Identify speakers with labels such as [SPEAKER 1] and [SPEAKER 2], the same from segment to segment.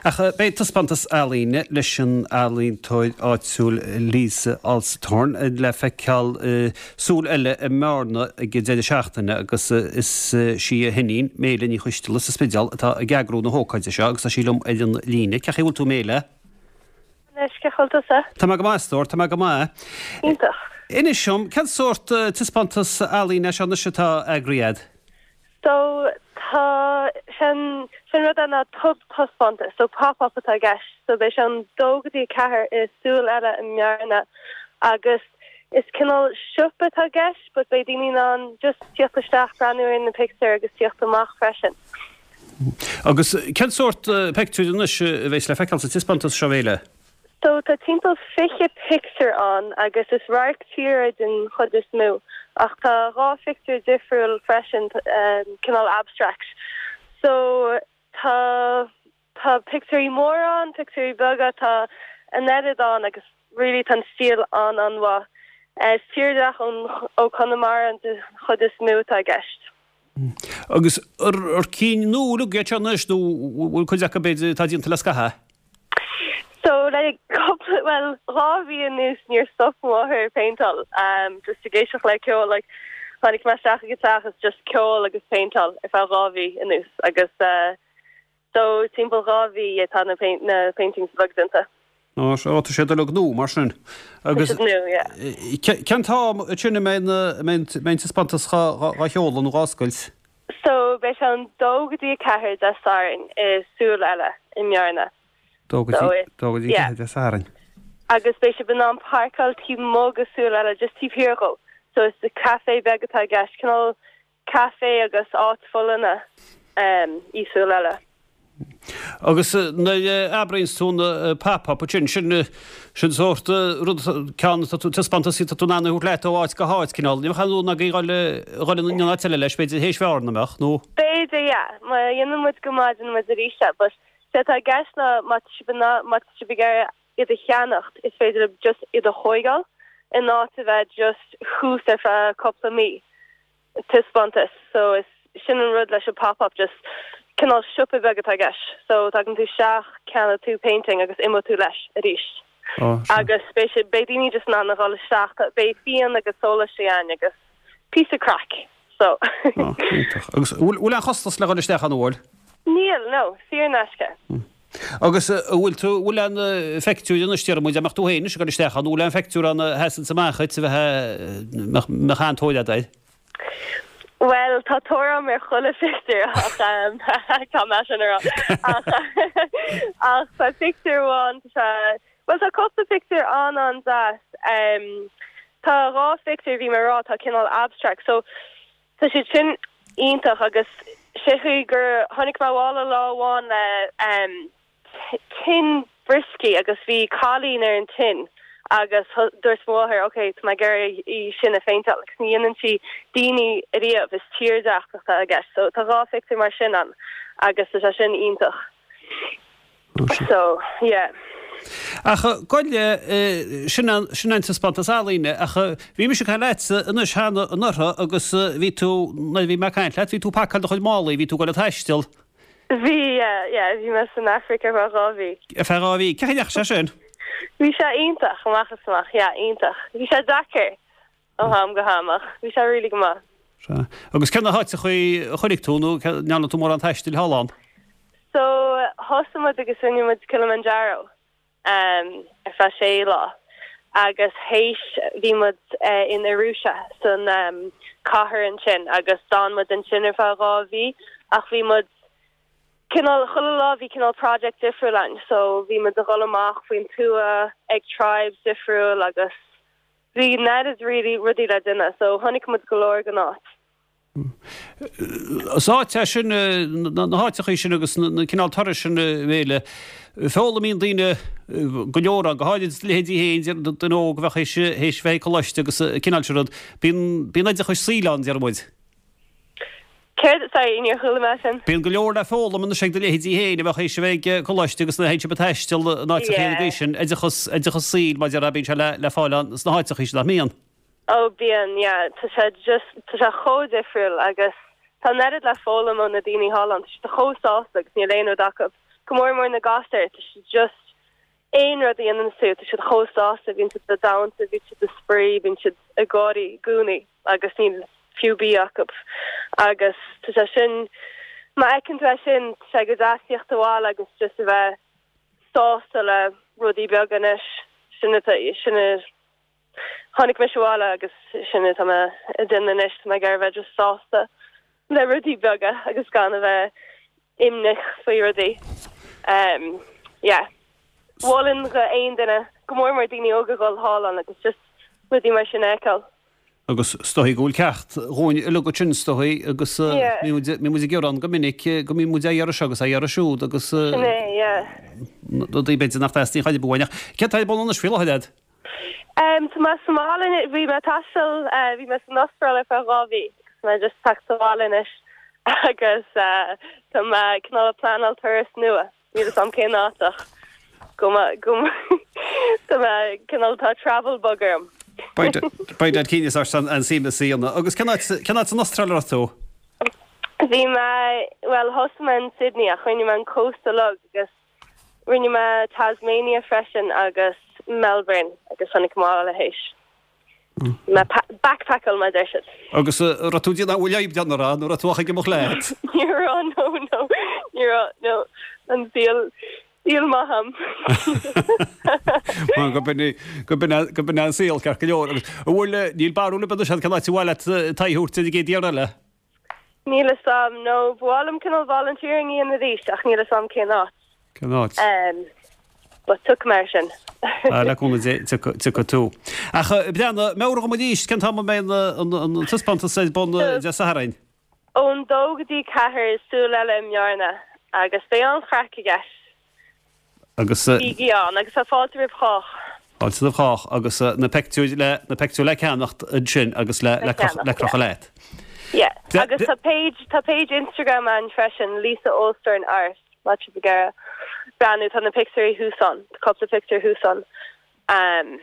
[SPEAKER 1] Ach beidh taispeántas ealaíne leis an ealaíontóir áitiúil Lisa Alstadhorn le feiceáil i Súil Eile i mBearna ag an deireadh seachtaine agus is sí a hiníon, Méile Ní Choisteala sa Spidéal atá ag eagrú na hócáide seo agus tá sí liom ar an líne. Cén chaoi a bhfuil tú Méile?
[SPEAKER 2] Anois, cén chaoi a bhfuil tusa?
[SPEAKER 1] Tá mé go maith, a stór, tá mé go maith.
[SPEAKER 2] Iontach.
[SPEAKER 1] Inis dom, cén sórt taispeántas ealaíne é seo anois atá eagraithe agat?
[SPEAKER 2] So, tá, sé'n, sé'n rud é ná tobthaispeántas, so pop-up atá i gceist. So beidh sé ón dó go dtí a ceathair i Súil Eile i mBearna agus is cineál siopa atá i gceist but beidh daoine in ann just tíocht isteach, breathnú ar na pictiúir agus tíocht amach freisin.
[SPEAKER 1] Agus cén sórt pictiúir anois a bheas le feiceáil sa taispeántas seo, a Mhéile?
[SPEAKER 2] So tá timpeall 20 pictiúr ann agus is radharc tíre den chuid is mó ach tá 2 phictiúr difriúil freisin, cineál abstract. So tá tá pictiúirí móra ann, pictiúirí beaga, tá an oiread ann agus really tá an stíl an-an-mhaith. Is tírdhreach ón ó Conamara an chuid is mó atá i gceist.
[SPEAKER 1] Agus ar cinn nua uilig iad seo anois nó bhfuil cuid acu b'fhéidir atá déanta le scaitheamh?
[SPEAKER 2] So le cúpla, bhuel, 2 mhí anuas níor stop mo mháthair ag péinteáil, just ag éisteacht le ceol, like tháinig mé isteach ag an teach is just ceol agus péinteáil ar feadh 2 mhí anuas agus so timpeall 2 mhí atá na na paintings uilig déanta.
[SPEAKER 1] Ó, ó tá siad uilig nua mar sin.
[SPEAKER 2] Agus Tá siad nua, yeah.
[SPEAKER 1] Cén t-am sin a mbeidh na, mbeidh an taispeántas dhá sheoladh nó dhá oscailt?
[SPEAKER 2] So beidh sé ón 2 go dtí 4 Dé Sathairn i Súil Eile i mBearna.
[SPEAKER 1] 2 go dtí, 2 go dtí 4 Dé Sathairn.
[SPEAKER 2] Agus beidh sibh in ann páirceáil taobh amuigh de Súil Eile, just taobh thiar dhó. So is caife beag atá i gceist, cineál caife agus áit folláine í Súil Eile.
[SPEAKER 1] Agus nuair a abraíonns tú na pop-up ansin, sin, sin sórt rud, ceann atá tú, taispeántas atá tú in ann a thabhairt leat ó áit go háit, cineál. Ní bheadh aon rún agaibh dhul, dhul in aon áit eile leis, b'fhéidir théis Bhearna, an mbeadh, nó?
[SPEAKER 2] B'fhéidir, yeah. Má dhéanann muid go maith, déanann muid arís é. But sé atá i gceist ná má tá sibh in ann, má tá sibh ag iarraidh iad a cheannacht, is féidir libh just iad a thóigeáil in áit a bheith just thuas ar feadh cúpla mí. taispeántas so is sin an rud leis an pop up just cineál siopa beag atá i gceist so tagann tú isteach ceannaíonn tú painting agus imeoidh tú leis arís agus beidh sé beidh daoine just in ann a dhul isteach beidh fíon agus sólaistí ann agus píosa craic so.
[SPEAKER 1] Iontach. Agus bhfuil bhfuil aon chostas le dhul isteach ann an bhfuil?
[SPEAKER 2] Níl, no, saor in aisce.
[SPEAKER 1] Agus an bhfuil tú, an bhfuil aon phictiúr anois, déarfaidh muid, dá mbeadh tú féin anois ag dul isteach ann, an bhfuil aon phictiúr ann a sheasanns amach dhuit a bheith, mbeadh an-tóir agat air?
[SPEAKER 2] Bhuel, tá tóir agam ar chuile phictiúr ach tá mé sin a rá. Ach ach tá pictiúr amháin, tá sé, bhuel tá cúpla pictiúr an-an-deas. Tá 2 phictiúr, bhí mé a rá, atá cineál abstract. So Tá siad sin iontach agus sé chaoi gur tháinig mé abhaile lá amháin le tin brioscaí agus bhí cailín ar an tin agus dúirt mo mháthair ok tá mé ag iarraidh í sin a phéinteáil agus ní dhéanann sí daoine ariamh is tírdhreach atá i gceist so tá 2 phictiúr mar sin ann agus tá sé sin iontach. So, yeah.
[SPEAKER 1] Ach gabh i leith, sin an, sin an taispeántas ealaíne, ach bhí mise ag caint leatsa anois cheana anuraidh agus bhí tú, nuair a bhí mé ag caint leat, bhí tú ag pacáil do chuid málaí, bhí tú ag dul ag taisteal.
[SPEAKER 2] Bhí, yeah, yeah, bhí mé san Afraic ar feadh 2 mhí.
[SPEAKER 1] Ar feadh 2 mhí. Cén chaoi a ndeachaigh sé sin?
[SPEAKER 2] Bhí sé iontach, amach is amach, yeah, iontach. Bhí sé deacair ó am go ham ach bhí sé really go maith.
[SPEAKER 1] Sea. Agus cé na háiteachaí a chonaic tú nó an ndearna tú mórán taistil thall ann?
[SPEAKER 2] So, thosaigh muid agus rinne muid Kilimanjaro ar feadh sé lá agus théis bhí muid in Arusha san cathair ansin agus d'fhan muid ansin ar feadh 2 mhí ach bhí muid cineál chuile lá bhí cineál project difriúil ann so bhí muid a dhul amach faoin tuath ag tribes difriúil agus bhí an oiread really rudaí le déanamh so chonaic muid go leor den áit.
[SPEAKER 1] Is áit é sin, na háiteachaí sin agus na cineál turais sin, a Mhéile, foghlaimíonn daoine go leor ann, go háirid do leithéidí féin, duine óg a bheadh théis bheith ag coláiste agus an cineál sin rud. Bíonn, bíonn oideachas saoil ann, deir muid.
[SPEAKER 2] Céard, sorry, níor chuala mé sin.
[SPEAKER 1] Bíonn go leor le foghlaim anois ag do leithéidí féin a bheadh théis a bheith ag coláiste agus nuair a théann sibh ag taisteal in áiteachaí ar an gcaoi sin, oideachas, oideachas saoil, mar a déarfá, bíonn sé le, le fáil ann sna háiteachaí sin, nach mbíonn?
[SPEAKER 2] Oh bíonn, yeah. Tá sé just, tá sé chomh difriúil agus tá an oiread le foghlaim ó na daoine thall ann. Tá siad chomh sásta agus níl aon rud acu. Go mór mór na gasúir, tá siad just, aon rud a dhéanann tú, tá siad chomh sásta, bíonn siad ag damhsa, bíonn siad ag spraoi, bíonn siad ag gáirí i gcónaí agus níl fiú bia acu. Agus tá sé sin, má fheiceann tú é sin, tá sé go deas tíocht abhaile agus just a bheith sásta le rudaí beaga anois. Sin atá, sin a tháinig mise abhaile agus sin atá mé ag déanamh anois, tá mé ag iarraidh a bheith just sásta le rudaí beaga agus gan a bheith imníoch faoi rudaí. Yeah. Mholfainn do aon duine, go mór mór daoine óga dhul thall ann agus just rudaí mar sin a fheiceáil.
[SPEAKER 1] Agus is dóigh go bhfuil ceacht dhúinn uilig ansin is dóigh agus bíonn muid ag gearán go minic go mbíonn muid á iarraidh seo agus á iarraidh siúd agus
[SPEAKER 2] Sin é, yeah.
[SPEAKER 1] rudaí b'fhéidir nach dteastaíonn chor ar bith uainn ach céard atá ar bun anois faoi láthair agat?
[SPEAKER 2] Tá mé sa mbaile anois, bhí mé ag taisteal, bhí mé san Astráil ar feadh 2 mhí agus tá mé just tagtha abhaile anois agus tá mé cineál ag pleanáil turas nua, níl fhios a'm cén áit ach go mba, go tá mé cineál, tá travel bug orm.
[SPEAKER 1] Beidh duit cinneadh ort an suim a dhéanamh. Agus cén áit, cén áit san Astráil a raibh tú?
[SPEAKER 2] Bhí mé, bhuel thosaigh mé in Sydney ach rinne mé an cósta uilig agus Rinne mé Tasmania freisin agus Melbourne agus tháinig mé abhaile théis. Mé backpackáil mar a deir siad.
[SPEAKER 1] Agus raibh tú ag déanamh, an bhfuil fhadhb déanamh rá nó raibh tú ach ag imeacht leat?
[SPEAKER 2] Ní raibh, no, no, ní raibh, no, an saol, saol maith a'm.
[SPEAKER 1] Mar go b'in, go b'in, go b'in an saol ceart go leor. Agus an bhfuil, níl barúil ar bith anois agat cén áit ar mhaith leat t'aghaidh a thabhairt ar an gcéad iarraidh eile?
[SPEAKER 2] Níl fhios a'm, no, ba mhaith liom cineál volunteering a dhéanamh arís ach níl fhios a'm cén áit.
[SPEAKER 1] Cén áit?
[SPEAKER 2] Em, but tiocfaidh mé air sin.
[SPEAKER 1] Ah, le cúnamh Dé, tiocfaidh tú. Ach, Breandán, meabhraigh dhom arís, cén t-am a mbeidh an, an, an taispeántas ar bun Dé Sathairn?
[SPEAKER 2] Ón dó go dtí ceathair, Súil Eile i mBearna, agus beidh an-chraic i gceist.
[SPEAKER 1] Agus.
[SPEAKER 2] Bígí ann, agus tá fáilte roimh chách.
[SPEAKER 1] Fáilte roimh chách, agus na peictiúir le, na peictiúir le ceannacht ansin agus le, le crochadh, le crochadh leat.
[SPEAKER 2] Yeah. Agus tá page, tá page Instagram ann freisin, Lisa Olsthoorn Art, má tá sibh ag iarraidh breathnú, tá na pictiúirí thuas ann, tá cúpla pictiúr thuas ann. Um,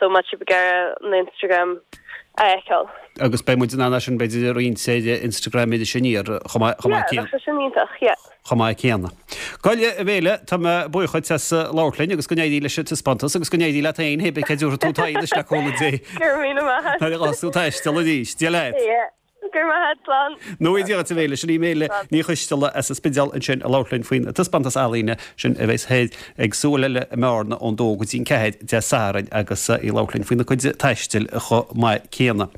[SPEAKER 2] so má tá sibh ag iarraidh an Instagram a fheiceáil.
[SPEAKER 1] Agus beidh muid in ann é sin b'fhéidir a roinnt ar Instagram Iris Aniar chomh maith chomh maith
[SPEAKER 2] Yeah, bheadh sé sin iontach, yeah.
[SPEAKER 1] chomh maith céanna. Bhuel, a Mhéile, tá mé buíoch dhuit as labhairt linn agus go n-éirí leis an taispeántas agus go n-éirí leat féin, hé bith cé dtabharfaidh tú t'aghaidh anois le cúnamh Dé.
[SPEAKER 2] Go raibh míle maith agat.
[SPEAKER 1] Nuair a ghabhfas tú taisteal arís. Dia leat.
[SPEAKER 2] Yeah. Go raibh maith agat, slán.
[SPEAKER 1] Nó Dia dhuit a Mhéile, sin í Méile Ní Choisteala as an Spidéal ansin ag labhairt linn faoin taispeántas ealaíne sin a bheas thoir ag Súil Eile i mBearna ón dó go dtí an ceathair Dé Sathairn agus í ag labhairt linn faoina cuid taistil chomh maith céanna.